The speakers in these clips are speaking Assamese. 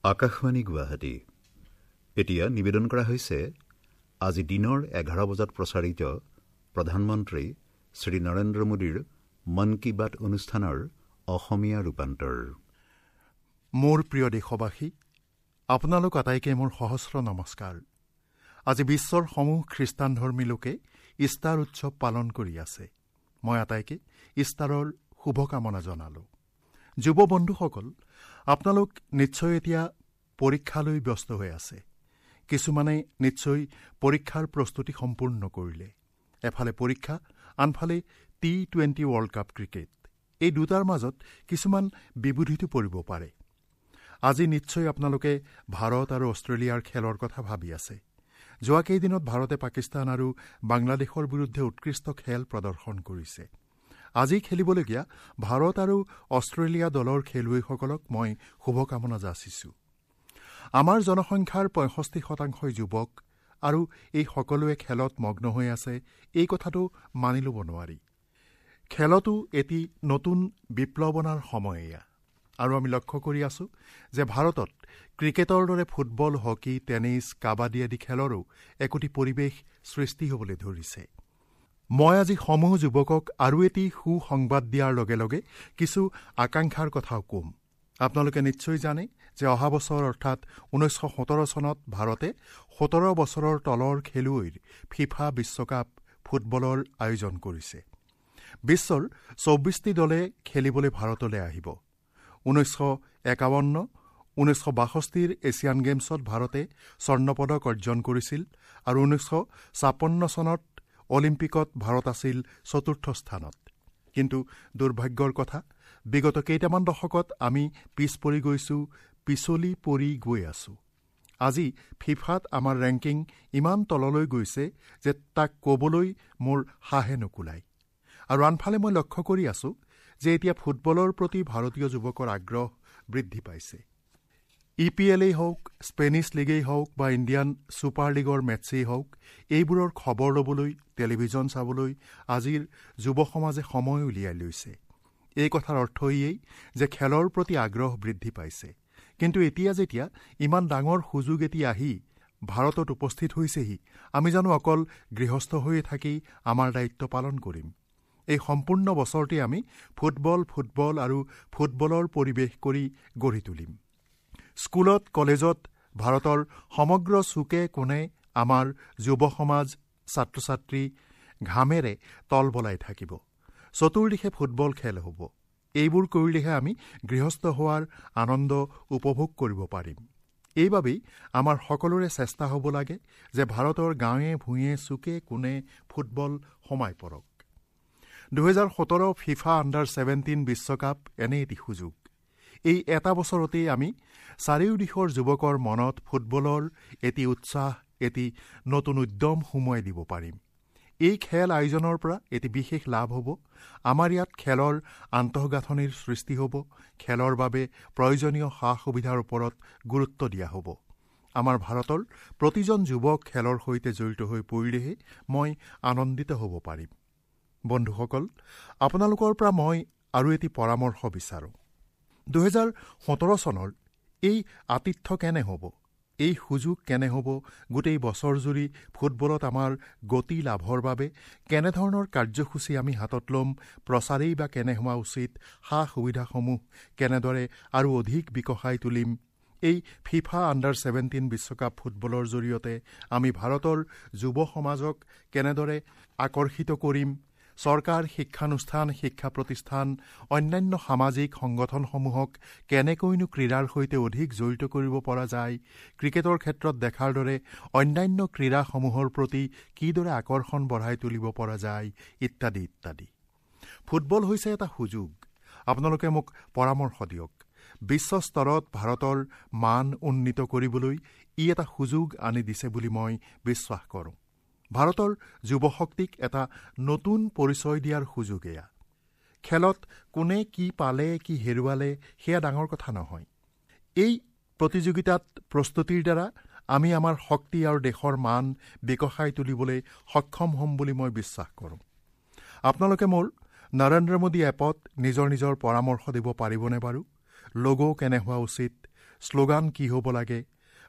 আকাশবাণী গুৱাহাটী। এতিয়া নিবেদন কৰা হৈছে আজি দিনৰ 11 বজাত প্ৰচাৰিত প্ৰধানমন্ত্ৰী শ্ৰী নৰেন্দ্ৰ মোদীৰ মন কী বাত অনুষ্ঠানৰ অসমীয়া ৰূপান্তৰ। মোৰ প্ৰিয় দেশবাসী, আপোনালোক আটাইকে মোৰ সহস্ৰ নমস্কাৰ। আজি বিশ্বৰ সমূহ খ্ৰীষ্টান ধৰ্মী লোকে ইষ্টাৰ উৎসৱ পালন কৰি আছে। মই আটাইকে ইষ্টাৰৰ শুভকামনা জনালোঁ। যুৱ বন্ধুসকল, আপোনালোক নিশ্চয় এতিয়া পৰীক্ষালৈ ব্যস্ত হৈ আছে। কিছুমানে নিশ্চয় পৰীক্ষাৰ প্ৰস্তুতি সম্পূৰ্ণ কৰিলে। এফালে পৰীক্ষা, আনফালে টি20 ৱৰ্ল্ড কাপ ক্ৰিকেট, এই দুটাৰ মাজত কিছুমান বিবুধিতো পৰিব পাৰে। আজি নিশ্চয় আপোনালোকে ভাৰত আৰু অষ্ট্ৰেলিয়াৰ খেলৰ কথা ভাবি আছে। যোৱা কেইদিনত ভাৰতে পাকিস্তান আৰু বাংলাদেশৰ বিৰুদ্ধে উৎকৃষ্ট খেল প্ৰদৰ্শন কৰিছে। আজি খেলিবলগীয়া ভাৰত আৰু অষ্ট্ৰেলিয়া দলৰ খেলুৱৈসকলক মই শুভকামনা যাচিছোঁ। আমাৰ জনসংখ্যাৰ 65% যুৱক আৰু এই সকলোৱে খেলত মগ্ন হৈ আছে, এই কথাটো মানি ল'ব নোৱাৰি। খেলতো এটি নতুন বিপ্লৱ অনাৰ সময় এয়া। আৰু আমি লক্ষ্য কৰি আছোঁ যে ভাৰতত ক্ৰিকেটৰ দৰে ফুটবল, হকী, টেনিছ, কাবাডী আদি খেলৰো একোটি পৰিৱেশ সৃষ্টি হ'বলৈ ধৰিছে। মই আজি সমূহ যুৱকক আৰু এটি সুসংবাদ দিয়াৰ লগে লগে কিছু আকাংক্ষাৰ কথাও ক'ম। আপোনালোকে নিশ্চয় জানে যে অহা বছৰ অৰ্থাৎ 1917 চনত ভাৰতে 17 বছৰৰ তলৰ খেলুৱৈৰ ফিফা বিশ্বকাপ ফুটবলৰ আয়োজন কৰিছে। বিশ্বৰ 24টি দলে খেলিবলৈ ভাৰতলৈ আহিব। 1951, 1962ৰ এছিয়ান গেমছত ভাৰতে স্বৰ্ণপদক অৰ্জন কৰিছিল আৰু 1956 চনত অলিম্পিকত ভাৰত আছিল চতুৰ্থ স্থানত। কিন্তু দুৰ্ভাগ্যৰ কথা, বিগত কেইটামান দশকত আমি পিছ পৰি গৈছোঁ, পিছলি পৰি গৈ আছোঁ। আজি ফিফাত আমাৰ ৰেংকিং ইমান তললৈ গৈছে যে তাক ক'বলৈ মোৰ সাহে নুকুলায়। আৰু আনফালে মই লক্ষ্য কৰি আছোঁ যে এতিয়া ফুটবলৰ প্ৰতি ভাৰতীয় যুৱকৰ আগ্ৰহ বৃদ্ধি পাইছে। ই পি এলেই হওক, স্পেনিছ লীগেই হওক বা ইণ্ডিয়ান ছুপাৰ লীগৰ মেটছেই হওক, এইবোৰৰ খবৰ ল'বলৈ, টেলিভিছন চাবলৈ আজিৰ যুৱ সমাজে সময় উলিয়াই লৈছে। এই কথাৰ অৰ্থ ইয়েই যে খেলৰ প্ৰতি আগ্ৰহ বৃদ্ধি পাইছে। কিন্তু এতিয়া যেতিয়া ইমান ডাঙৰ সুযোগ এটি আহি ভাৰতত উপস্থিত হৈছেহি, আমি জানো অকল গৃহস্থ হৈয়ে থাকি আমাৰ দায়িত্ব পালন কৰিম? এই সম্পূৰ্ণ বছৰটি আমি ফুটবল, ফুটবল আৰু ফুটবলৰ পৰিৱেশ কৰি গঢ়ি তুলিম। স্কুলত, কলেজত, ভাৰতৰ সমগ্ৰ চুকে কোণে আমাৰ যুৱ সমাজ, ছাত্ৰ ছাত্ৰী ঘামেৰে তল বলাই থাকিব। চতুৰ্দিশে ফুটবল খেল হ'ব। এইবোৰ কৰিলেহে আমি গৃহস্থ হোৱাৰ আনন্দ উপভোগ কৰিব পাৰিম। এইবাবেই আমাৰ সকলোৰে চেষ্টা হ'ব লাগে যে ভাৰতৰ গাঁৱে ভূঞে, চুকে কোণে ফুটবল সোমাই পৰক। 2017 ফিফা আণ্ডাৰ 17 বিশ্বকাপ এনে এটি সুযোগ। এই এটা বছৰতেই আমি চাৰিওদিশৰ যুৱকৰ মনত ফুটবলৰ এটি উৎসাহ, এটি নতুন উদ্যম সুমুৱাই দিব পাৰিম। এই খেল আয়োজনৰ পৰা এটি বিশেষ লাভ হ'ব। আমাৰ ইয়াত খেলৰ আন্তঃগাঁথনিৰ সৃষ্টি হ'ব। খেলৰ বাবে প্ৰয়োজনীয় সা সুবিধাৰ ওপৰত গুৰুত্ব দিয়া হ'ব। আমাৰ ভাৰতৰ প্ৰতিজন যুৱক খেলৰ সৈতে জড়িত হৈ পৰিলেহে মই আনন্দিত হ'ব পাৰিম। বন্ধুসকল, আপোনালোকৰ পৰা মই আৰু এটি পৰামৰ্শ বিচাৰোঁ। 2017 চনৰ এই আতিথ্য কেনে হ'ব, এই সুযোগ কেনে হ'ব, গোটেই বছৰজুৰি ফুটবলত আমাৰ গতি লাভৰ বাবে কেনেধৰণৰ কাৰ্যসূচী আমি হাতত ল'ম, প্ৰচাৰেই বা কেনে হোৱা উচিত, সা সুবিধাসমূহ কেনেদৰে আৰু অধিক বিকশাই তুলিম, এই ফিফা আণ্ডাৰ 17 বিশ্বকাপ ফুটবলৰ জৰিয়তে আমি ভাৰতৰ যুৱ সমাজক কেনেদৰে আকৰ্ষিত কৰিম, চৰকাৰ, শিক্ষানুষ্ঠান, শিক্ষা প্ৰতিষ্ঠান, অন্যান্য সামাজিক সংগঠনসমূহক কেনেকৈনো ক্ৰীড়াৰ সৈতে অধিক জড়িত কৰিব পৰা যায়, ক্ৰিকেটৰ ক্ষেত্ৰত দেখাৰ দৰে অন্যান্য ক্ৰীড়াসমূহৰ প্ৰতি কিদৰে আকৰ্ষণ বঢ়াই তুলিব পৰা যায়, ইত্যাদি ইত্যাদি। ফুটবল হৈছে এটা সুযোগ। আপোনালোকে মোক পৰামৰ্শ দিয়ক। বিশ্ব স্তৰত ভাৰতৰ মান উন্নীত কৰিবলৈ ই এটা সুযোগ আনি দিছে বুলি মই বিশ্বাস কৰোঁ। ভাৰতৰ যুৱশক্তিক এটা নতুন পৰিচয় দিয়াৰ সুযোগ এয়া। খেলত কোনে কি পালে, কি হেৰুৱালে সেয়া ডাঙৰ কথা নহয়। এই প্ৰতিযোগিতাত প্ৰস্তুতিৰ দ্বাৰা আমি আমাৰ শক্তি আৰু দেশৰ মান বিকশাই তুলিবলৈ সক্ষম হ'ম বুলি মই বিশ্বাস কৰোঁ। আপোনালোকে মোৰ নৰেন্দ্ৰ মোদী এপত নিজৰ নিজৰ পৰামৰ্শ দিব পাৰিবনে বাৰু? লগো কেনে হোৱা উচিত, শ্লোগান কি হ'ব লাগে,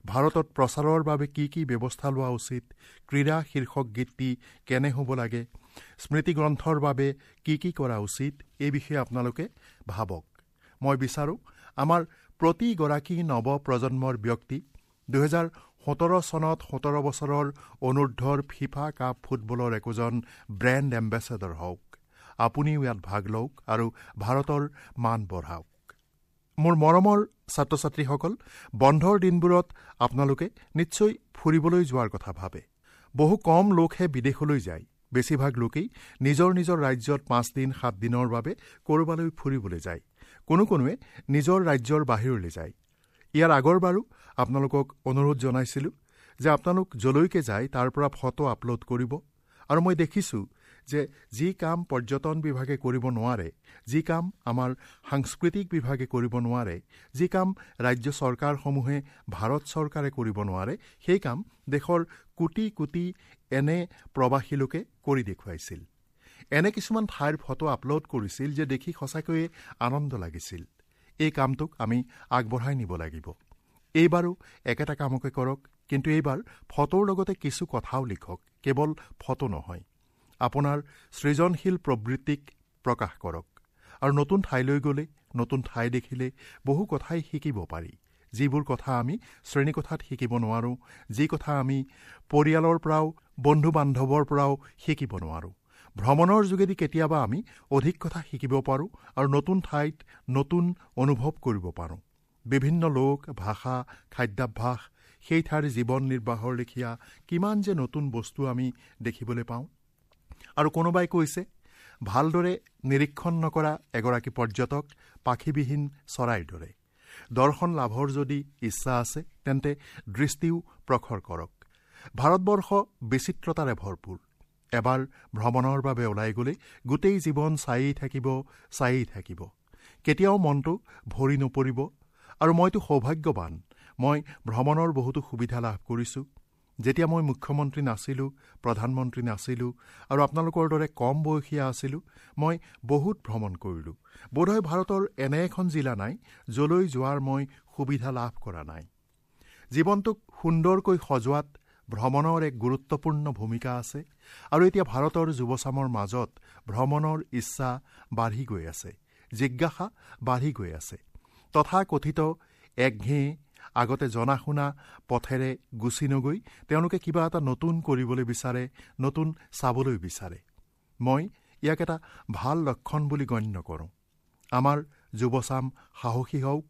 ভাৰতত প্ৰচাৰৰ বাবে কি কি ব্যৱস্থা লোৱা উচিত, ক্ৰীড়া শীৰ্ষক গীতটি কেনে হ'ব লাগে, স্মৃতিগ্ৰন্থৰ বাবে কি কি কৰা উচিত, এই বিষয়ে আপোনালোকে ভাবক। মই বিচাৰোঁ আমাৰ প্ৰতিগৰাকী নৱপ্ৰজন্মৰ ব্যক্তি 2017 চনত 17 বছৰৰ অনুৰ্ধৰ ফিফা কাপ ফুটবলৰ একোজন ব্ৰেণ্ড এম্বেচেডৰ হওক। আপুনিও ইয়াত ভাগ লওক আৰু ভাৰতৰ মান বঢ়াওক। মোৰ মৰমৰ ছাত্ৰ ছাত্ৰীসকল, বন্ধৰ দিনবোৰত আপোনালোকে নিশ্চয় ফুৰিবলৈ যোৱাৰ কথা ভাবে। বহু কম লোকহে বিদেশলৈ যায়। বেছিভাগ লোকেই নিজৰ নিজৰ ৰাজ্যত 5 দিন 7 দিনৰ বাবে ক'ৰবালৈ ফুৰিবলৈ যায়। কোনো কোনোৱে নিজৰ ৰাজ্যৰ বাহিৰলৈ যায়। ইয়াৰ আগৰবাৰো আপোনালোকক অনুৰোধ জনাইছিলোঁ যে আপোনালোক যলৈকে যায় তাৰ পৰা ফটো আপলোড কৰিব। আৰু মই দেখিছোঁ যে যি কাম পৰ্যটন বিভাগে কৰিব নোৱাৰে, যি কাম আমাৰ সাংস্কৃতিক বিভাগে কৰিব নোৱাৰে, যি কাম ৰাজ্য চৰকাৰসমূহে ভাৰত চৰকাৰে কৰিব নোৱাৰে, সেই কাম দেশৰ কোটি কোটি এনে প্ৰৱাসী লোকে কৰি দেখুৱাইছিল। এনে কিছুমান ঠাইৰ ফটো আপলোড কৰিছিল যে দেখি সঁচাকৈয়ে আনন্দ লাগিছিল। এই কামটোক আমি আগবঢ়াই নিব লাগিব। এইবাৰো একেটা কামকে কৰক, কিন্তু এইবাৰ ফটোৰ লগতে কিছু কথাও লিখক, কেৱল ফটো নহয়। আপোনাৰ সৃজনশীল প্ৰবৃত্তিক প্ৰকাশ কৰক। আৰু নতুন ঠাইলৈ গ'লে, নতুন ঠাই দেখিলে বহু কথাই শিকিব পাৰি, যিবোৰ কথা আমি শ্ৰেণীকোঠাত শিকিব নোৱাৰোঁ, যি কথা আমি পৰিয়ালৰ পৰাও বন্ধু বান্ধৱৰ পৰাও শিকিব নোৱাৰোঁ। ভ্ৰমণৰ যোগেদি কেতিয়াবা আমি অধিক কথা শিকিব পাৰোঁ আৰু নতুন ঠাইত নতুন অনুভৱ কৰিব পাৰোঁ। বিভিন্ন লোক, ভাষা, খাদ্যাভ্যাস, সেই ঠাইৰ জীৱন নিৰ্বাহৰ লেখীয়া কিমান যে নতুন বস্তু আমি দেখিবলৈ পাওঁ। আৰু কোনোবাই কৈছে, ভালদৰে নিৰীক্ষণ নকৰা এগৰাকী পৰ্যটক পাখিবিহীন চৰাইৰ দৰে। দৰ্শন লাভৰ যদি ইচ্ছা আছে তেন্তে দৃষ্টিও প্ৰখৰ কৰক। ভাৰতবৰ্ষ বিচিত্ৰতাৰে ভৰপূৰ। এবাৰ ভ্ৰমণৰ বাবে ওলাই গ'লে গোটেই জীৱন চায়েই থাকিব, চায়েই থাকিব, কেতিয়াও মনটো ভৰি নপৰিব। আৰু মইতো সৌভাগ্যৱান, মই ভ্ৰমণৰ বহুতো সুবিধা লাভ কৰিছোঁ। যেতিয়া মই মুখ্যমন্ত্ৰী নাছিলোঁ, প্ৰধানমন্ত্ৰী নাছিলোঁ আৰু আপোনালোকৰ দৰে কম বয়সীয়া আছিলোঁ, মই বহুত ভ্ৰমণ কৰিলোঁ। বোধহয় ভাৰতৰ এনে এখন জিলা নাই য'লৈ যোৱাৰ মই সুবিধা লাভ কৰা নাই। জীৱনটোক সুন্দৰকৈ সজোৱাত ভ্ৰমণৰ এক গুৰুত্বপূৰ্ণ ভূমিকা আছে। আৰু এতিয়া ভাৰতৰ যুৱচামৰ মাজত ভ্ৰমণৰ ইচ্ছা বাঢ়ি গৈ আছে, জিজ্ঞাসা বাঢ়ি গৈ আছে। তথাকথিত একঘেয়ে আগতে জনা শুনা পথেৰে গুচি নগৈ তেওঁলোকে কিবা এটা নতুন কৰিবলৈ বিচাৰে, নতুন চাবলৈ বিচাৰে। মই ইয়াক এটা ভাল লক্ষণ বুলি গণ্য কৰোঁ। আমাৰ যুৱচাম সাহসী হওক।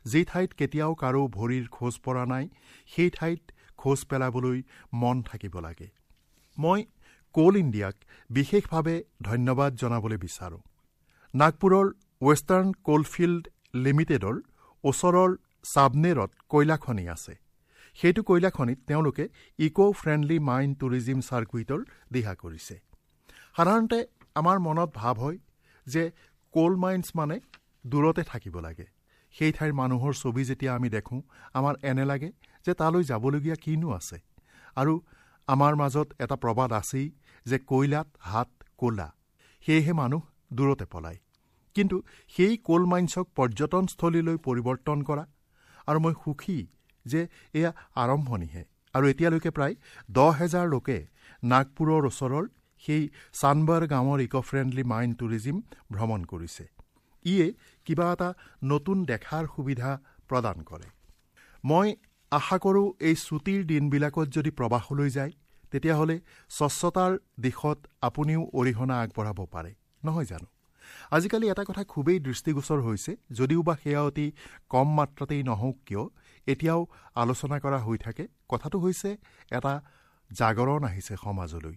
যি ঠাইত কেতিয়াও কাৰো ভৰিৰ খোজ পৰা নাই, সেই ঠাইত খোজ পেলাবলৈ মন থাকিব লাগে। মই কোল ইণ্ডিয়াক বিশেষভাৱে ধন্যবাদ জনাবলৈ বিচাৰোঁ। নাগপুৰৰ ৱেষ্টাৰ্ণ কোলফিল্ড লিমিটেডৰ ওচৰৰ চাবনেৰত কয়লাখনি আছে। সেইটো কয়লাখনিত তেওঁলোকে ইক' ফ্ৰেণ্ডলি মাইন টুৰিজিম চাৰ্কুইটৰ দিহা কৰিছে। সাধাৰণতে আমাৰ মনত ভাৱ হয় যে কোল মাইনছ মানে দূৰতে থাকিব লাগে। সেই ঠাইৰ মানুহৰ ছবি যেতিয়া আমি দেখোঁ, আমাৰ এনে লাগে যে তালৈ যাবলগীয়া কিনো আছে। আৰু আমাৰ মাজত এটা প্ৰবাদ আছেই যে কয়লাত হাত ক'লা, সেয়েহে মানুহ দূৰতে পলায়। কিন্তু সেই কোল মাইনছক পৰ্যটনস্থলীলৈ পৰিৱৰ্তন কৰা, আৰু মই সুখী যে এয়া আৰম্ভণিহে। আৰু এতিয়ালৈকে প্ৰায় 10,000 লোকে নাগপুৰৰ ওচৰৰ সেই চানবাৰ গাঁৱৰ ইক' ফ্ৰেণ্ডলি মাইন টুৰিজিম ভ্ৰমণ কৰিছে। ইয়ে কিবা এটা নতুন দেখাৰ সুবিধা প্ৰদান কৰে। মই আশা কৰোঁ এই ছুটীৰ দিনবিলাকত যদি প্ৰৱাসলৈ যায়, তেতিয়াহ'লে স্বচ্ছতাৰ দিশত আপুনিও অৰিহণা আগবঢ়াব পাৰে, নহয় জানো? আজিকালি এটা কথা খুবেই দৃষ্টিগোচৰ হৈছে, যদিও বা সেয়া অতি কম মাত্ৰাতেই নহওক কিয়, এতিয়াও আলোচনা কৰা হৈ থাকে। কথাটো হৈছে এটা জাগৰণ আহিছে সমাজলৈ।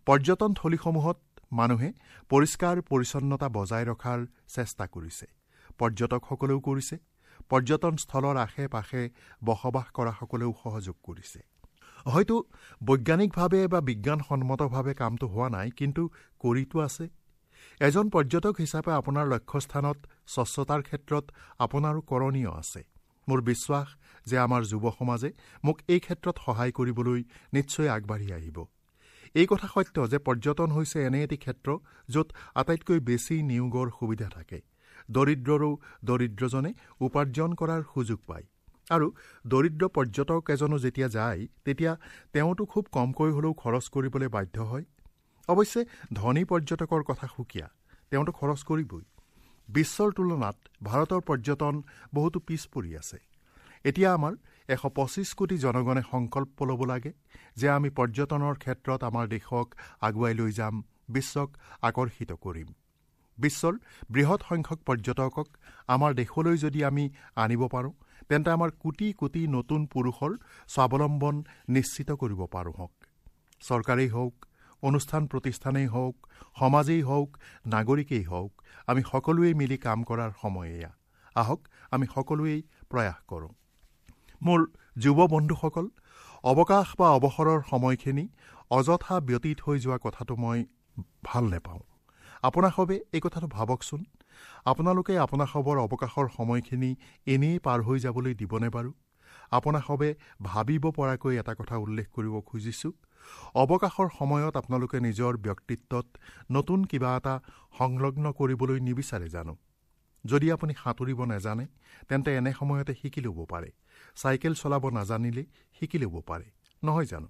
পৰ্যটনথলীসমূহত মানুহে পৰিষ্কাৰ পৰিচ্ছন্নতা বজাই ৰখাৰ চেষ্টা কৰিছে, পৰ্যটকসকলেও কৰিছে, পৰ্যটনস্থলৰ আশে পাশে বসবাস কৰাসকলেও সহযোগ কৰিছে। হয়তো বৈজ্ঞানিকভাৱে বা বিজ্ঞানসন্মতভাৱে কামটো হোৱা নাই, কিন্তু কৰিতো আছে। এজন পৰ্যটক হিচাপে আপোনাৰ লক্ষ্যস্থানত স্বচ্ছতাৰ ক্ষেত্ৰত আপোনাৰো কৰণীয় আছে। মোৰ বিশ্বাস যে আমাৰ যুৱ সমাজে মোক এই ক্ষেত্ৰত সহায় কৰিবলৈ নিশ্চয় আগবাঢ়ি আহিব। এই কথা সত্য যে পৰ্যটন হৈছে এনে এটি ক্ষেত্ৰ য'ত আটাইতকৈ বেছি নিয়োগৰ সুবিধা থাকে। দৰিদ্ৰৰো দৰিদ্ৰজনে উপাৰ্জন কৰাৰ সুযোগ পায়। আৰু দৰিদ্ৰ পৰ্যটক এজনো যেতিয়া যায় তেতিয়া তেওঁতো খুব কমকৈ হ'লেও খৰচ কৰিবলৈ বাধ্য হয়। অৱশ্যে ধনী পৰ্যটকৰ কথা সুকীয়া, তেওঁতো খৰচ কৰিবই। বিশ্বৰ তুলনাত ভাৰতৰ পৰ্যটন বহুতো পিছ পৰি আছে। এতিয়া আমাৰ 125 কোটি জনগণে সংকল্প ল'ব লাগে যে আমি পৰ্যটনৰ ক্ষেত্ৰত আমাৰ দেশক আগুৱাই লৈ যাম, বিশ্বক আকৰ্ষিত কৰিম। বিশ্বৰ বৃহৎ সংখ্যক পৰ্যটকক আমাৰ দেশলৈ যদি আমি আনিব পাৰোঁ, তেন্তে আমাৰ কোটি কোটি নতুন পুৰুষৰ স্বাৱলম্বন নিশ্চিত কৰিব পাৰোঁ। হওক চৰকাৰেই হওক, অনুষ্ঠান প্ৰতিষ্ঠানেই হওক, সমাজেই হওক, নাগৰিকেই হওক, আমি সকলোৱেই মিলি কাম কৰাৰ সময় এয়া। আহক আমি সকলোৱেই প্ৰয়াস কৰোঁ। মোৰ যুৱ বন্ধুসকল, অৱকাশ বা অৱসৰৰ সময়খিনি অযথা ব্যতীত হৈ যোৱা কথাটো মই ভাল নাপাওঁ। আপোনাসবে এই কথাটো ভাবকচোন, আপোনালোকে আপোনাসবৰ অৱকাশৰ সময়খিনি এনেই পাৰ হৈ যাবলৈ দিবনে বাৰু? আপোনাসবে ভাবিব পৰাকৈ এটা কথা উল্লেখ কৰিব খুজিছোঁ। অৱকাশৰ সময়ত আপোনালোকে নিজৰ ব্যক্তিত্বত নতুন কিবা এটা সংলগ্ন কৰিবলৈ নিবিচাৰে জানো? যদি আপুনি সাঁতুৰিব নাজানে তেন্তে এনে সময়তে শিকি ল'ব পাৰে, চাইকেল চলাব নাজানিলে শিকি ল'ব পাৰে, নহয় জানো?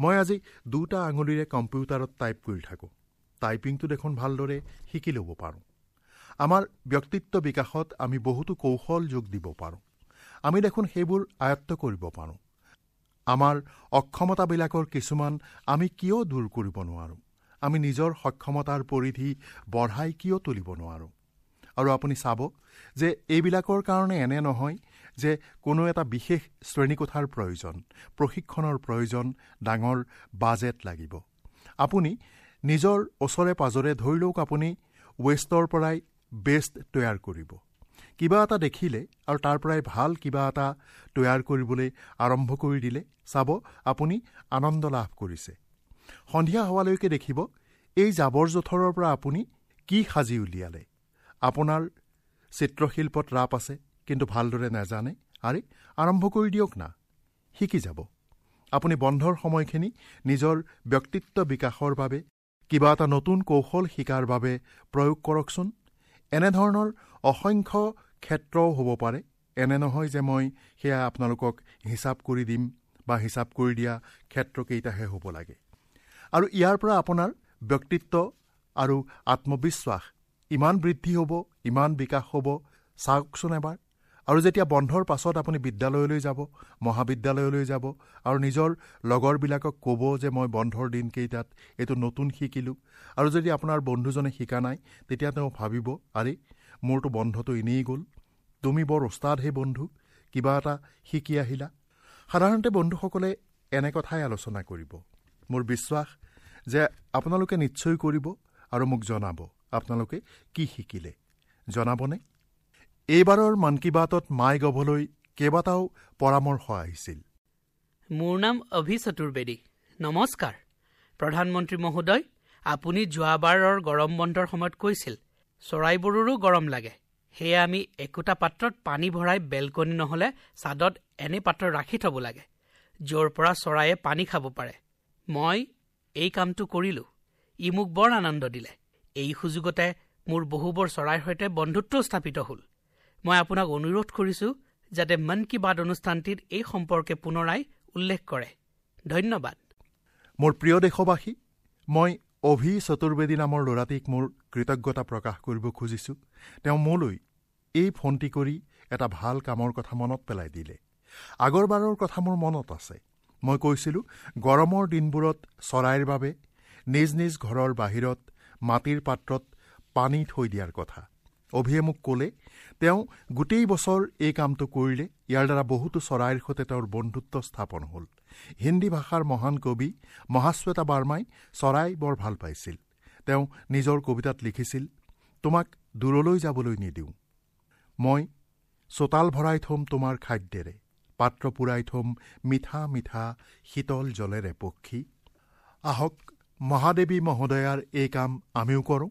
মই আজি 2টা আঙুলিৰে কম্পিউটাৰত টাইপ কৰি থাকোঁ, টাইপিংটো দেখোন ভালদৰে শিকি ল'ব পাৰোঁ। আমাৰ ব্যক্তিত্ব বিকাশত আমি বহুতো কৌশল যোগ দিব পাৰোঁ, আমি দেখোন সেইবোৰ আয়ত্ব কৰিব পাৰোঁ। আমাৰ অক্ষমতাবিলাকৰ কিছুমান আমি কিয় দূৰ কৰিব নোৱাৰোঁ? আমি নিজৰ সক্ষমতাৰ পৰিধি বঢ়াই কিয় তুলিব নোৱাৰোঁ? আৰু আপুনি চাব যে এইবিলাকৰ কাৰণে এনে নহয় যে কোনো এটা বিশেষ শ্ৰেণীকোঠাৰ প্ৰয়োজন, প্ৰশিক্ষণৰ প্ৰয়োজন, ডাঙৰ বাজেট লাগিব। আপুনি নিজৰ ওচৰে পাজৰে ধৰি লওক আপুনি ৱেষ্টৰ পৰাই বেষ্ট তৈয়াৰ কৰিব, কিবা এটা দেখিলে আৰু তাৰ পৰাই ভাল কিবা এটা তৈয়াৰ কৰিবলৈ আৰম্ভ কৰি দিলে চাব আপুনি আনন্দ লাভ কৰিছে। সন্ধিয়া হোৱালৈকে দেখিব এই জাবৰ জোঁথৰৰ পৰা আপুনি কি সাজি উলিয়ালে। আপোনাৰ চিত্ৰশিল্পত ৰাপ আছে কিন্তু ভালদৰে নাজানে, আৰে আৰম্ভ কৰি দিয়ক না, শিকি যাব। আপুনি বন্ধৰ সময়খিনি নিজৰ ব্যক্তিত্ব বিকাশৰ বাবে কিবা এটা নতুন কৌশল শিকাৰ বাবে প্ৰয়োগ কৰকচোন। এনেধৰণৰ অসংখ্য ক্ষেত্ৰও হ'ব পাৰে। এনে নহয় যে মই সেয়া আপোনালোকক হিচাপ কৰি দিম বা হিচাপ কৰি দিয়া ক্ষেত্ৰকেইটাহে হ'ব লাগে। আৰু ইয়াৰ পৰা আপোনাৰ ব্যক্তিত্ব আৰু আত্মবিশ্বাস ইমান বৃদ্ধি হ'ব, ইমান বিকাশ হ'ব, চাওকচোন এবাৰ। আৰু যেতিয়া বন্ধৰ পাছত আপুনি বিদ্যালয়লৈ যাব, মহাবিদ্যালয়লৈ যাব আৰু নিজৰ লগৰবিলাকক ক'ব যে মই বন্ধৰ দিনকেইটাত এইটো নতুন শিকিলোঁ, আৰু যদি আপোনাৰ বন্ধুজনে শিকা নাই তেতিয়া তেওঁ ভাবিব, আৰে মোৰতো বন্ধটো এনেই গ'ল, তুমি বৰ ওস্তাদহে বন্ধু, কিবা এটা শিকি আহিলা। সাধাৰণতে বন্ধুসকলে এনে কথাই আলোচনা কৰিব। মোৰ বিশ্বাস যে আপোনালোকে নিশ্চয় কৰিব আৰু মোক জনাব আপোনালোকে কি শিকিলে, জনাবনে? এইবাৰৰ মন কী বাতত মাই গভলৈ কেইবাটাও পৰামৰ্শ আহিছিল। মোৰ নাম অভি চতুৰ্বেদী। নমস্কাৰ প্ৰধানমন্ত্ৰী মহোদয়, আপুনি যোৱাবাৰৰ গৰম বন্ধৰ সময়ত কৈছিল চৰাইবোৰৰো গৰম লাগে, সেয়ে আমি একোটা পাত্ৰত পানী ভৰাই বেলকনি নহ'লে ছাদত এনে পাত্ৰ ৰাখি থ'ব লাগে য'ৰ পৰা চৰাইয়ে পানী খাব পাৰে। মই এই কামটো কৰিলোঁ, ই মোক বৰ আনন্দ দিলে। এই সুযোগতে মোৰ বহুবোৰ চৰাইৰ সৈতে বন্ধুত্ব স্থাপিত হ'ল। মই আপোনাক অনুৰোধ কৰিছোঁ যাতে মন কী বাত অনুষ্ঠানটিত এই সম্পৰ্কে পুনৰাই উল্লেখ কৰে। ধন্যবাদ। মোৰ প্ৰিয় দেশবাসী, মই অভি চতুৰ্বেদী নামৰ ল'ৰাটিক মোৰ কৃতজ্ঞতা প্ৰকাশ কৰিব খুজিছোঁ। তেওঁ মোলৈ এই ফোনটি কৰি এটা ভাল কামৰ কথা মনত পেলাই দিলে। আগৰবাৰৰ কথা মোৰ মনত আছে। মই কৈছিলোঁ গৰমৰ দিনবোৰত চৰাইৰ বাবে নিজ নিজ ঘৰৰ বাহিৰত মাটিৰ পাত্ৰত পানী থৈ দিয়াৰ কথা। অভিয়ে মোক ক'লে তেওঁ গোটেই বছৰ এই কামটো কৰিলে, ইয়াৰ দ্বাৰা বহুতো চৰাইৰ সৈতে তেওঁৰ বন্ধুত্ব স্থাপন হ'ল। হিন্দী ভাষাৰ মহান কবি মহাশ্বেতা বাৰ্মাই চৰাই বৰ ভাল পাইছিল। তেওঁ নিজৰ কবিতাত লিখিছিল, তোমাক দূৰলৈ যাবলৈ নিদিওঁ, মই চোতাল ভৰাই থ'ম তোমাৰ খাদ্যেৰে, পাত্ৰ পূৰাই থ'ম মিঠা মিঠা শীতল জলেৰে পক্ষী। আহক মহাদেৱী মহোদয়াৰ এই কাম আমিও কৰোঁ।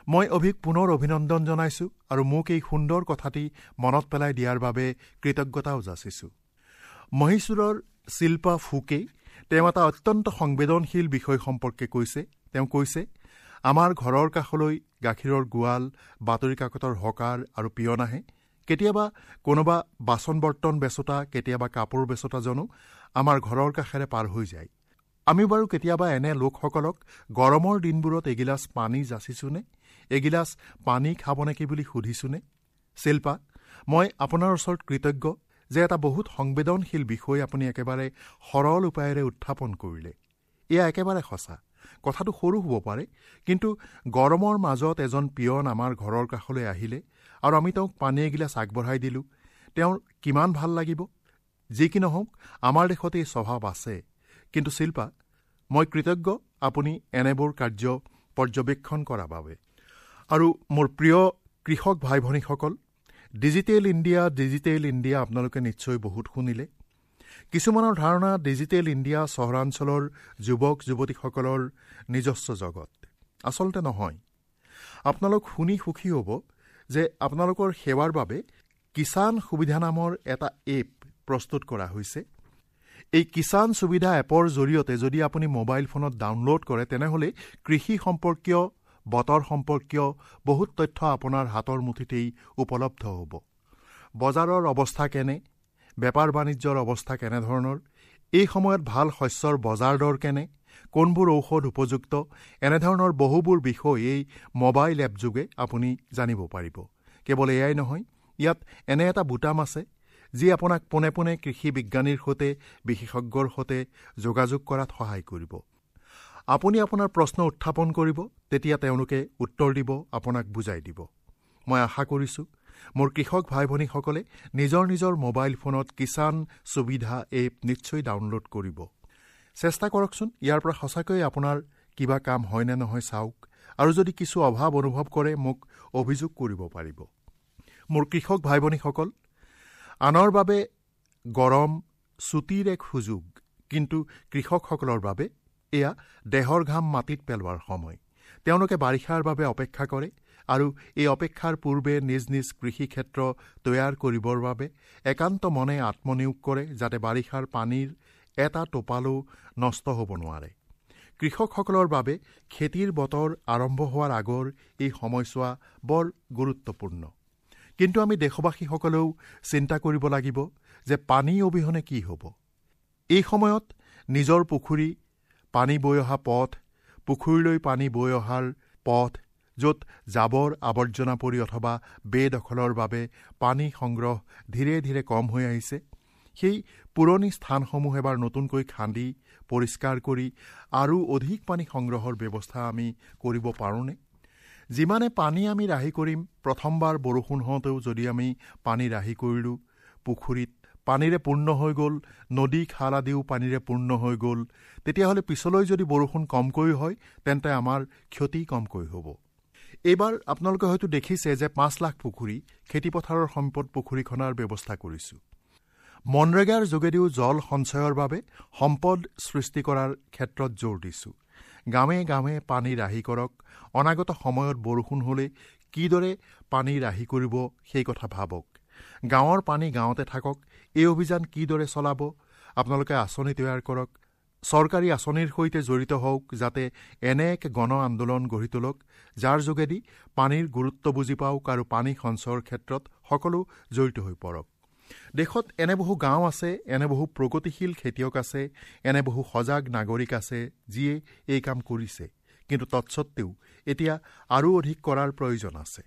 মই অভিক পুনৰ অভিনন্দন জনাইছোঁ আৰু মোক এই সুন্দৰ কথাটি মনত পেলাই দিয়াৰ বাবে কৃতজ্ঞতাও যাচিছোঁ। মহীশূৰৰ শিল্পা ফুকে তেওঁ এটা অত্যন্ত সংবেদনশীল বিষয় সম্পৰ্কে কৈছে। তেওঁ কৈছে, আমাৰ ঘৰৰ কাষলৈ গাখীৰৰ গোৱাল, বাতৰি কাকতৰ হকাৰ আৰু পিয়ন আহে। কেতিয়াবা কোনোবা বাচন বৰ্তন বেচোতা, কেতিয়াবা কাপোৰ বেচোতাজনো আমাৰ ঘৰৰ কাষেৰে পাৰ হৈ যায়। আমি বাৰু কেতিয়াবা এনে লোকসকলক গৰমৰ দিনবোৰত এগিলাচ পানী যাচিছোনে, এগিলাচ পানী খাব নেকি বুলি সুধিছোনে? শিল্পা, মই আপোনাৰ ওচৰত কৃতজ্ঞ যে এটা বহুত সংবেদনশীল বিষয় আপুনি একেবাৰে সৰল উপায়েৰে উত্থাপন কৰিলে। এয়া একেবাৰে সঁচা। কথাটো সৰু হ'ব পাৰে, কিন্তু গৰমৰ মাজত এজন পিয়ন আমাৰ ঘৰৰ কাষলৈ আহিলে আৰু আমি তেওঁক পানী এগিলাচ আগবঢ়াই দিলোঁ, তেওঁৰ কিমান ভাল লাগিব। যি কি নহওক, আমাৰ দেশত এই স্বভাৱ আছে। কিন্তু শিল্পা, মই কৃতজ্ঞ আপুনি এনেবোৰ কাৰ্য পৰ্যবেক্ষণ কৰাৰ বাবে। আৰু মোৰ প্ৰিয় কৃষক ভাই ভনীসকল, ডিজিটেল ইণ্ডিয়া, ডিজিটেল ইণ্ডিয়া আপোনালোকে নিশ্চয় বহুত শুনিলে। কিছুমানৰ ধাৰণা ডিজিটেল ইণ্ডিয়া চহৰাঞ্চলৰ যুৱক যুৱতীসকলৰ নিজস্ব জগত। আচলতে নহয়। আপোনালোক শুনি সুখী হ'ব যে আপোনালোকৰ সেৱাৰ বাবে কিষাণ সুবিধা নামৰ এটা এপ প্ৰস্তুত কৰা হৈছে। এই কিষাণ সুবিধা এপৰ জৰিয়তে যদি আপুনি মোবাইল ফোনত ডাউনলোড কৰে, তেনেহ'লে কৃষি সম্পৰ্কীয়, বতৰ সম্পৰ্কীয় বহুত তথ্য আপোনাৰ হাতৰ মুঠিতেই উপলব্ধ হ'ব। বজাৰৰ অৱস্থা কেনে, বেপাৰ বাণিজ্যৰ অৱস্থা কেনেধৰণৰ, এই সময়ত ভাল শস্যৰ বজাৰ দৰ কেনে, কোনবোৰ ঔষধ উপযুক্ত, এনেধৰণৰ বহুবোৰ বিষয় এই মোবাইল এপ যোগে আপুনি জানিব পাৰিব। কেৱল এয়াই নহয়, ইয়াত এনে এটা বুটাম আছে যি আপোনাক পোনে পোনে কৃষি বিজ্ঞানীৰ সৈতে, বিশেষজ্ঞৰ সৈতে যোগাযোগ কৰাত সহায় কৰিব। আপুনি আপোনাৰ প্ৰশ্ন উত্থাপন কৰিব, তেতিয়া তেওঁলোকে উত্তৰ দিব, আপোনাক বুজাই দিব। মই আশা কৰিছোঁ মোৰ কৃষক ভাই ভনীসকলে নিজৰ নিজৰ মোবাইল ফোনত কিষাণ সুবিধা এপ নিশ্চয় ডাউনলোড কৰিব। চেষ্টা কৰকচোন, ইয়াৰ পৰা সঁচাকৈয়ে আপোনাৰ কিবা কাম হয়নে নহয় চাওক, আৰু যদি কিছু অভাৱ অনুভৱ কৰে মোক অভিযোগ কৰিব পাৰিব। মোৰ কৃষক ভাই ভনীসকল, আনৰ বাবে গৰম ছুটীৰ এক সুযোগ, কিন্তু কৃষকসকলৰ বাবে এয়া দেহৰ ঘাম মাটিত পেলোৱাৰ সময়। তেওঁলোকে বাৰিষাৰ বাবে অপেক্ষা কৰে আৰু এই অপেক্ষাৰ পূৰ্বে নিজ নিজ কৃষিক্ষেত্ৰ তৈয়াৰ কৰিবৰ বাবে একান্ত মনে আত্মনিয়োগ কৰে, যাতে বাৰিষাৰ পানীৰ এটা টোপালো নষ্ট হ'ব নোৱাৰে। কৃষকসকলৰ বাবে খেতিৰ বতৰ আৰম্ভ হোৱাৰ আগৰ এই সময়ছোৱা বৰ গুৰুত্বপূৰ্ণ। কিন্তু আমি দেশবাসীসকলেও চিন্তা কৰিব লাগিব যে পানী অবিহনে কি হ'ব। এই সময়ত নিজৰ পুখুৰী, পানী বৈ অহা পথ, পুখুৰীলৈ পানী বৈ অহাৰ পথ, য'ত জাবৰ আৱৰ্জনা পৰি অথবা বেদখলৰ বাবে পানী সংগ্ৰহ ধীৰে ধীৰে কম হৈ আহিছে, সেই পুৰণি স্থানসমূহ এবাৰ নতুনকৈ খান্দি পৰিষ্কাৰ কৰি আৰু অধিক পানী সংগ্ৰহৰ ব্যৱস্থা আমি কৰিব পাৰোঁনে? যিমানে পানী আমি ৰাহি কৰিম, প্ৰথমবাৰ বৰষুণ হওঁতেও যদি আমি পানী ৰাহি কৰিলোঁ, পুখুৰীত পানীৰে পূৰ্ণ হৈ গ'ল, নদী খাল আদিও পানীৰে পূৰ্ণ হৈ গ'ল, তেতিয়াহ'লে পিছলৈ যদি বৰষুণ কমকৈ হয় তেন্তে আমাৰ ক্ষতি কমকৈ হ'ব। এইবাৰ আপোনালোকে হয়তো দেখিছে যে 5 লাখ পুখুৰী, খেতিপথাৰৰ সম্পদ পুখুৰী খনাৰ ব্যৱস্থা কৰিছোঁ। মনৰেগাৰ যোগেদিও জল সঞ্চয়ৰ বাবে সম্পদ সৃষ্টি কৰাৰ ক্ষেত্ৰত জোৰ দিছোঁ। গাঁৱে গাঁৱে পানী ৰাহি কৰক, অনাগত সময়ত বৰষুণ হ'লে কিদৰে পানী ৰাহি কৰিব সেই কথা ভাবক। গাঁৱৰ পানী গাঁৱতে থাকক, এই অভিযান কিদৰে চলাব আপোনালোকে আঁচনি তৈয়াৰ কৰক, চৰকাৰী আঁচনিৰ সৈতে জড়িত হওক, যাতে এনে এক গণ আন্দোলন গঢ়ি তোলক যাৰ যোগেদি পানীৰ গুৰুত্ব বুজি পাওক আৰু পানী সঞ্চয়ৰ ক্ষেত্ৰত সকলো জড়িত হৈ পৰক। দেশত এনে বহু গাঁও আছে, এনে বহু প্ৰগতিশীল খেতিয়ক আছে, এনে বহু সজাগ নাগৰিক আছে যিয়ে এই কাম কৰিছে, কিন্তু তৎসত্ত্বেও এতিয়া আৰু অধিক কৰাৰ প্ৰয়োজন আছে।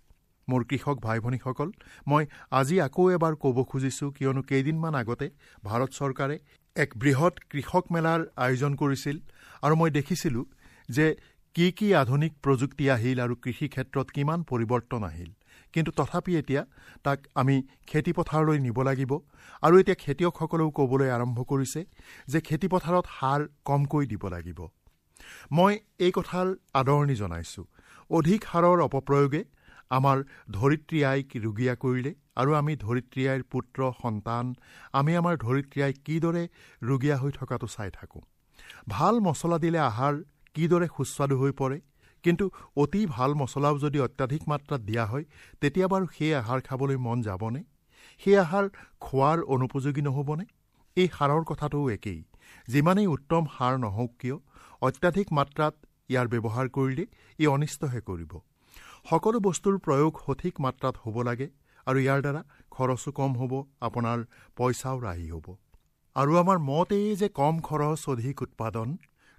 মোৰ কৃষক ভাই ভনীসকল, মই আজি আকৌ এবাৰ ক'ব খুজিছোঁ, কিয়নো কেইদিনমান আগতে ভাৰত চৰকাৰে এক বৃহৎ কৃষক মেলাৰ আয়োজন কৰিছিল আৰু মই দেখিছিলোঁ যে কি কি আধুনিক প্ৰযুক্তি আহিল আৰু কৃষি ক্ষেত্ৰত কিমান পৰিৱৰ্তন আহিল। কিন্তু তথাপি এতিয়া তাক আমি খেতিপথাৰলৈ নিব লাগিব আৰু এতিয়া খেতিয়কসকলেও ক'বলৈ আৰম্ভ কৰিছে যে খেতিপথাৰত সাৰ কমকৈ দিব লাগিব। মই এই কথাৰ আদৰণি জনাইছোঁ। অধিক সাৰৰ অপপ্ৰয়োগে আমাৰ ধৰিত্ৰী আইক ৰুগীয়া কৰিলে আৰু আমি ধৰিত্ৰী আইৰ পুত্ৰ সন্তান, আমি আমাৰ ধৰিত্ৰী আইক কিদৰে ৰুগীয়া হৈ থকাটো চাই থাকোঁ। ভাল মছলা দিলে আহাৰ কিদৰে সুস্বাদু হৈ পৰে, কিন্তু অতি ভাল মছলাও যদি অত্যাধিক মাত্ৰাত দিয়া হয় তেতিয়া বাৰু সেই আহাৰ খাবলৈ মন যাবনে? সেই আহাৰ খোৱাৰ অনুপযোগী নহ'বনে? এই সাৰৰ কথাটোও একেই। যিমানেই উত্তম সাৰ নহওক কিয়, অত্যাধিক মাত্ৰাত ইয়াৰ ব্যৱহাৰ কৰিলে ই অনিষ্টহে কৰিব। সকলো বস্তুৰ প্ৰয়োগ সঠিক মাত্ৰাত হ'ব লাগে আৰু ইয়াৰ দ্বাৰা খৰচো কম হ'ব, আপোনাৰ পইচাও ৰাহি হ'ব। আৰু আমাৰ মতেই যে কম খৰচ অধিক উৎপাদন,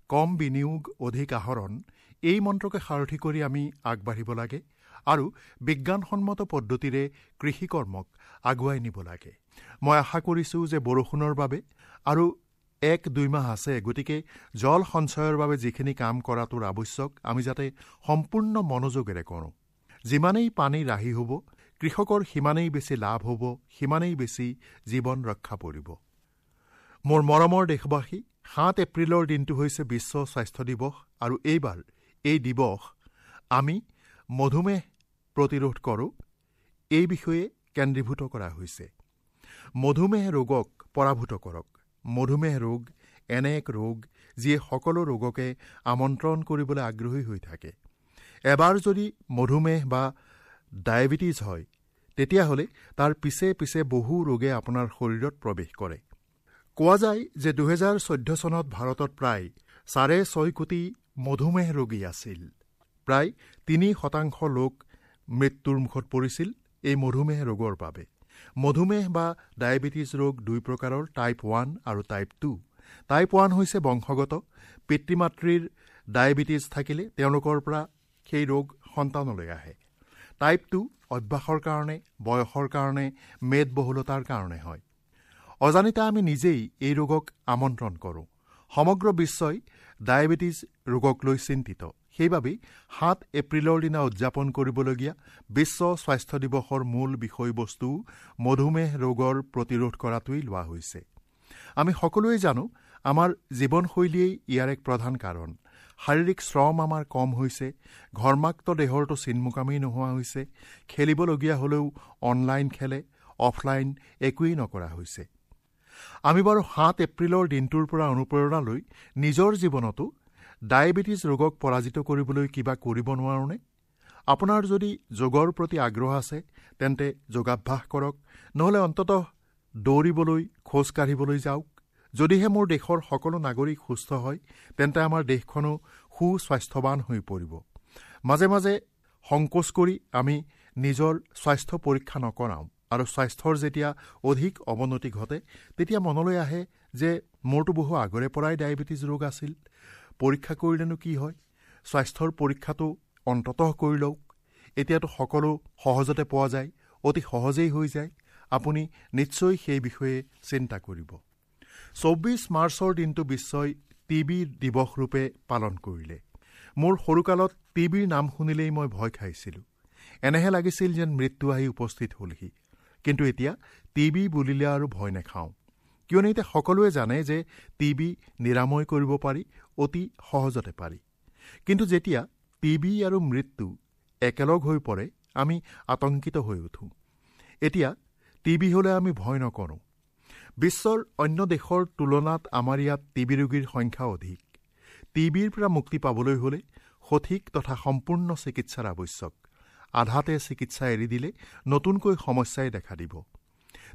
কম বিনিয়োগ অধিক আহৰণ, এই মন্ত্ৰকে সাৰথি কৰি আমি আগবাঢ়িব লাগে আৰু বিজ্ঞানসন্মত পদ্ধতিৰে কৃষিকৰ্মক আগুৱাই নিব লাগে। মই আশা কৰিছোঁ যে বৰষুণৰ বাবে আৰু 1-2 মাহ আছে, গতিকে জল সঞ্চয়ৰ বাবে যিখিনি কাম কৰাটোৰ আৱশ্যক আমি যাতে সম্পূৰ্ণ মনোযোগেৰে কৰোঁ। যিমানেই পানী ৰাহি হ'ব, কৃষকৰ সিমানেই বেছি লাভ হ'ব, সিমানেই বেছি জীৱন ৰক্ষা পৰিব। মোৰ মৰমৰ দেশবাসী, 7 এপ্ৰিলৰ দিনটো হৈছে বিশ্ব স্বাস্থ্য দিৱস আৰু এইবাৰ এই দিৱস আমি মধুমেহ প্ৰতিৰোধ কৰোঁ এই বিষয়ে কেন্দ্ৰীভূত কৰা হৈছে। মধুমেহ ৰোগক পৰাভূত কৰক। মধুমেহ ৰোগ এনে এক ৰোগ যিয়ে সকলো ৰোগকে আমন্ত্ৰণ কৰিবলৈ আগ্ৰহী হৈ থাকে। এবাৰ যদি মধুমেহ বা ডায়েবেটিছ হয়, তেতিয়াহ'লে তাৰ পিছে পিছে বহু ৰোগে আপোনাৰ শৰীৰত প্ৰৱেশ কৰে। কোৱা যায় যে 2014 চনত ভাৰতত প্ৰায় 6.5 কোটি মধুমেহ ৰোগী আছিল। প্ৰায় 3% লোক মৃত্যুৰ মুখত পৰিছিল এই মধুমেহ ৰোগৰ বাবে। মধুমেহ বা ডায়েবেটিছ ৰোগ 2 প্ৰকাৰৰ, টাইপ 1 আৰু টাইপ 2। টাইপ 1 হৈছে বংশগত, পিতৃ মাতৃৰ ডায়েবেটিছ থাকিলে তেওঁলোকৰ পৰা সেই ৰোগ সন্তানলৈ আহে। টাইপ 2 অভ্যাসৰ কাৰণে, বয়সৰ কাৰণে, মেদবহুলতাৰ কাৰণে হয়। অজানিতে আমি নিজেই এই ৰোগক আমন্ত্ৰণ কৰোঁ। সমগ্ৰ বিশ্বই ডায়েবেটিছ ৰোগক লৈ চিন্তিত। সেইবাবেই 7 এপ্ৰিলৰ দিনা উদযাপন কৰিবলগীয়া বিশ্ব স্বাস্থ্য দিৱসৰ মূল বিষয়বস্তু মধুমেহ ৰোগৰ প্ৰতিৰোধ কৰাটোৱেই লোৱা হৈছে। আমি সকলোৱে জানো আমাৰ জীৱনশৈলীয়েই ইয়াৰ এক প্ৰধান কাৰণ। শাৰীৰিক শ্ৰম আমাৰ কম হৈছে, ঘৰ্মাক্ত দেহৰতো চিনমোকামেই নোহোৱা হৈছে, খেলিবলগীয়া হ'লেও অনলাইন খেলে, অফলাইন একোৱেই নকৰা হৈছে। আমি বাৰু 7 এপ্ৰিলৰ দিনটোৰ পৰা অনুপ্ৰেৰণা লৈ নিজৰ জীৱনতো ডায়েবেটিছ ৰোগক পৰাজিত কৰিবলৈ কিবা কৰিব নোৱাৰোঁনে? আপোনাৰ যদি যোগৰ প্ৰতি আগ্ৰহ আছে তেন্তে যোগাভ্যাস কৰক, নহ'লে অন্ততঃ দৌৰিবলৈ, খোজ কাঢ়িবলৈ যাওক। যদিহে মোৰ দেশৰ সকলো নাগৰিক সুস্থ হয়, তেন্তে আমাৰ দেশখনো সুস্বাস্থ্যৱান হৈ পৰিব। মাজে মাজে সংকোচ কৰি আমি নিজৰ স্বাস্থ্য পৰীক্ষা নকৰাওঁ আৰু স্বাস্থ্যৰ যেতিয়া অধিক অৱনতি ঘটে তেতিয়া মনলৈ আহে যে মোৰতো বহু আগৰে পৰাই ডায়েবেটিছ ৰোগ আছিল, পৰীক্ষা কৰিলেনো কি হয়, স্বাস্থ্যৰ পৰীক্ষাটো অন্ততঃ কৰি লওক। এতিয়াতো সকলো সহজতে পোৱা যায়, অতি সহজেই হৈ যায়। আপুনি নিশ্চয় সেই বিষয়ে চিন্তা কৰিব। 24 মাৰ্চৰ দিনটো বিশ্বই টিবি দিৱস ৰূপে পালন কৰিলে। মোৰ সৰুকালত টিবিৰ নাম শুনিলেই মই ভয় খাইছিলোঁ, এনেহে লাগিছিল যেন মৃত্যু আহি উপস্থিত হ'লহি। কিন্তু এতিয়া টিবি বুলিলে আৰু ভয় নাখাওঁ, কিয়নো এতিয়া সকলোৱে জানে যে টিবি নিৰাময় কৰিব পাৰি, অতি সহজতে পাৰি। কিন্তু যেতিয়া টিবি আৰু মৃত্যু একেলগ হৈ পৰে, আমি আতংকিত হৈ উঠোঁ। এতিয়া টিবি হ'লে আমি ভয় নকৰোঁ। বিশ্বৰ অন্য দেশৰ তুলনাত আমাৰ ইয়াত টিবি ৰোগীৰ সংখ্যা অধিক। টিবিৰ পৰা মুক্তি পাবলৈ হ'লে সঠিক তথা সম্পূৰ্ণ চিকিৎসাৰ আৱশ্যক। আধাতে চিকিৎসা এৰি দিলে নতুনকৈ সমস্যাই দেখা দিব।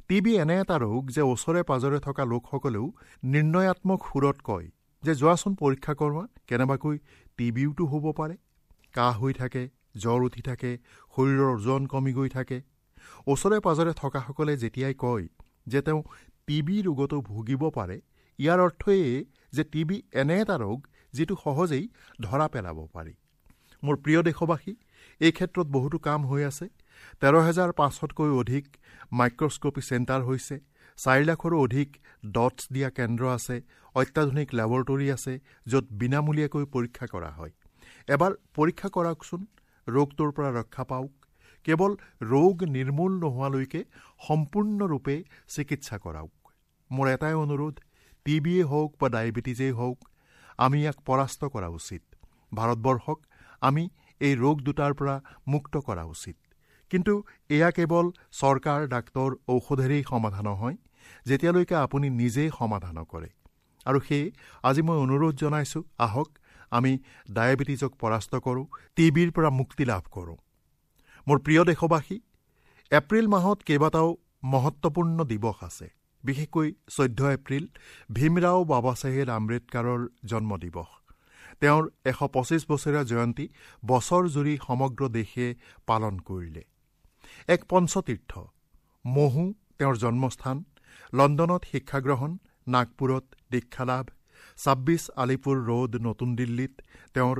টিবি এনে এটা ৰোগ যে ওচৰে পাজৰে থকা লোকসকলেও নিৰ্ণয়াত্মক সুৰত কয় যে যোৱাচোন পৰীক্ষা কৰোৱা, কেনেবাকৈ টিবিওতো হ'ব পাৰে। কাহ হৈ থাকে, জ্বৰ উঠি থাকে, শৰীৰৰ ওজন কমি গৈ থাকে। ওচৰে পাজৰে থকাসকলে যেতিয়াই কয় যে তেওঁ টিবি ৰোগতো ভুগিব পাৰে, ইয়াৰ অৰ্থ এয়ে যে টিবি এনে এটা ৰোগ যিটো সহজেই ধৰা পেলাব পাৰি। মোৰ প্ৰিয় দেশবাসী, এই ক্ষেত্ৰত বহুতো কাম হৈ আছে। 13,500তকৈ অধিক মাইক্ৰস্কপি চেণ্টাৰ হৈছে, 4 লাখৰো অধিক ডটছ দিয়া কেন্দ্ৰ আছে, অত্যাধুনিক লেবৰেটৰী আছে য'ত বিনামূলীয়াকৈ পৰীক্ষা কৰা হয়। এবাৰ পৰীক্ষা কৰাওকচোন, ৰোগটোৰ পৰা ৰক্ষা পাওক। কেৱল ৰোগ নিৰ্মূল নোহোৱালৈকে সম্পূৰ্ণৰূপে চিকিৎসা কৰাওক। মোৰ এটাই অনুৰোধ, টিবিয়ে হওক বা ডায়েবেটিছেই হওক, আমি ইয়াক পৰাস্ত কৰা উচিত। ভাৰতবৰ্ষক আমি এই ৰোগ দুটাৰ পৰা মুক্ত কৰা উচিত। কিন্তু এয়া কেৱল চৰকাৰ, ডাক্তৰ, ঔষধেৰেই সমাধান নহয়, যেতিয়ালৈকে আপুনি নিজেই সমাধান নকৰে। আৰু সেয়ে আজি মই অনুৰোধ জনাইছোঁ, আহক আমি ডায়েবেটিছক পৰাস্ত কৰোঁ, টিবিৰ পৰা মুক্তি লাভ কৰোঁ। মোৰ প্ৰিয় দেশবাসী, এপ্ৰিল মাহত কেইবাটাও মহত্বপূৰ্ণ দিৱস আছে। বিশেষকৈ 14 এপ্ৰিল ভীমৰাও বাবাচাহেব আম্বেদকাৰৰ জন্মদিৱস। তেওঁৰ 125 বছৰীয়া জয়ন্তী বছৰ জুৰি সমগ্ৰ দেশে পালন কৰিলে। এক পঞ্চতীৰ্থ মহু তেওঁৰ জন্মস্থান, লণ্ডনত শিক্ষাগ্ৰহণ, নাগপুৰত দীক্ষালাভ, 26 আলিপুৰ ৰোড নতুন দিল্লীত তেওঁৰ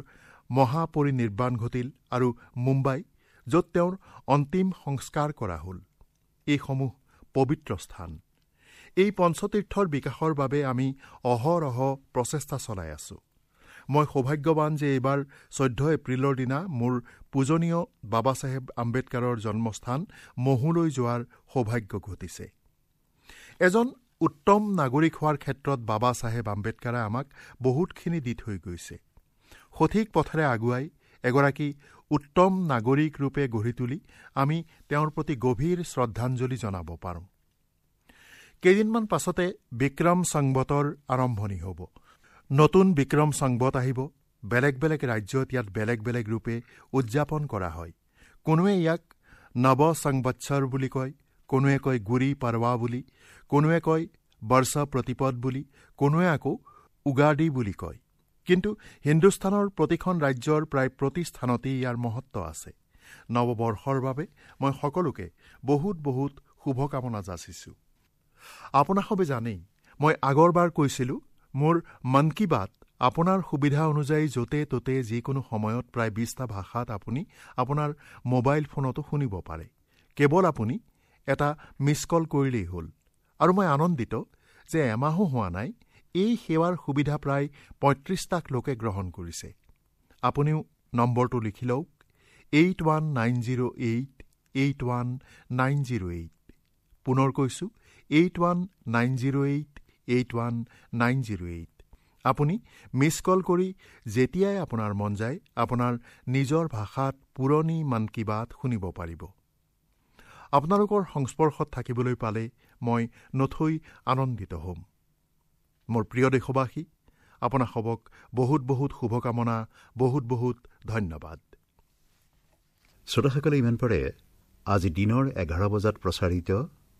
মহাপৰিনিৰ্বাণ ঘটিল আৰু মুম্বাই য'ত তেওঁৰ অন্তিম সংস্কাৰ কৰা হ'ল। এইসমূহ পবিত্ৰ স্থান। এই পঞ্চতীৰ্থৰ বিকাশৰ বাবে আমি অহৰহ প্ৰচেষ্টা চলাই আছোঁ। মই সৌভাগ্যৱান যে এইবাৰ 14 এপ্ৰিলৰ দিনা মোৰ পূজনীয় বাবা চাহেব আম্বেদকাৰৰ জন্মস্থান মহুলৈ যোৱাৰ সৌভাগ্য ঘটিছে। এজন উত্তম নাগৰিক হোৱাৰ ক্ষেত্ৰত বাবা চাহেব আম্বেদকাৰে আমাক বহুতখিনি দি থৈ গৈছে। সঠিক পথেৰে আগুৱাই এগৰাকী উত্তম নাগৰিক ৰূপে গঢ়ি তুলি আমি তেওঁৰ প্ৰতি গভীৰ শ্ৰদ্ধাঞ্জলি জনাব পাৰোঁ। কেইদিনমান পাছতে বিক্ৰম সংবতৰ আৰম্ভণি হ'ব। নতুন বিক্ৰম সংবত আহিব। বেলেগ বেলেগ ৰাজ্যত ইয়াত বেলেগ বেলেগ ৰূপে উদযাপন কৰা হয়। কোনোৱে ইয়াক নৱ সংবৎসৰ বুলি কয়, কোনোৱে কয় গুৰি পাৰৱা বুলি, কোনোৱে কয় বৰ্ষ প্ৰতিপদ বুলি, কোনোৱে আকৌ উগাদি বুলি কয়। কিন্তু হিন্দুস্তানৰ প্ৰতিখন ৰাজ্যৰ প্ৰায় প্ৰতি স্থানতেই ইয়াৰ মহত্ব আছে। নৱবৰ্ষৰ বাবে মই সকলোকে বহুত বহুত শুভকামনা যাচিছোঁ। আপোনাসবে জানেই, মই আগৰবাৰ কৈছিলোঁ, মোৰ মন কী বাত আপোনাৰ সুবিধা অনুযায়ী য'তে ত'তে যিকোনো সময়ত প্ৰায় 20টা ভাষাত আপুনি আপোনাৰ মোবাইল ফোনতো শুনিব পাৰে। কেৱল আপুনি এটা মিছ কল কৰিলেই হ'ল। আৰু মই আনন্দিত যে এমাহো হোৱা নাই, এই সেৱাৰ সুবিধা প্ৰায় 35টাক লোকে গ্ৰহণ কৰিছে। আপুনিও নম্বৰটো লিখি লওক, 81908 81908। পুনৰ কৈছোঁ, 81908 81908। আপুনি মিছ কল কৰি যেতিয়াই আপোনাৰ মন যায় আপোনাৰ নিজৰ ভাষাত পুৰণি মন কী বাত শুনিব পাৰিব। আপোনালোকৰ সংস্পৰ্শত থাকিবলৈ পালে মই নথৈ আনন্দিত হ'ম। মোৰ প্ৰিয় দেশবাসী, আপোনাসবক বহুত বহুত শুভকামনা, বহুত বহুত ধন্যবাদ। শ্ৰোতাসকলে ইমান পৰে আজি দিনৰ 11 বজাত প্ৰচাৰিত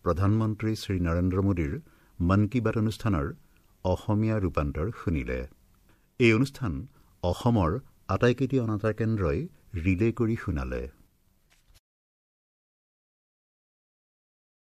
প্ৰধানমন্ত্ৰী শ্ৰী নৰেন্দ্ৰ মোদীৰ মন কী বাত অনুষ্ঠানৰ অসমীয়া ৰূপান্তৰ শুনিলে। এই অনুষ্ঠান অসমৰ আটাইকেইটি অনাতাঁৰ কেন্দ্ৰই ৰিলে কৰি শুনালে।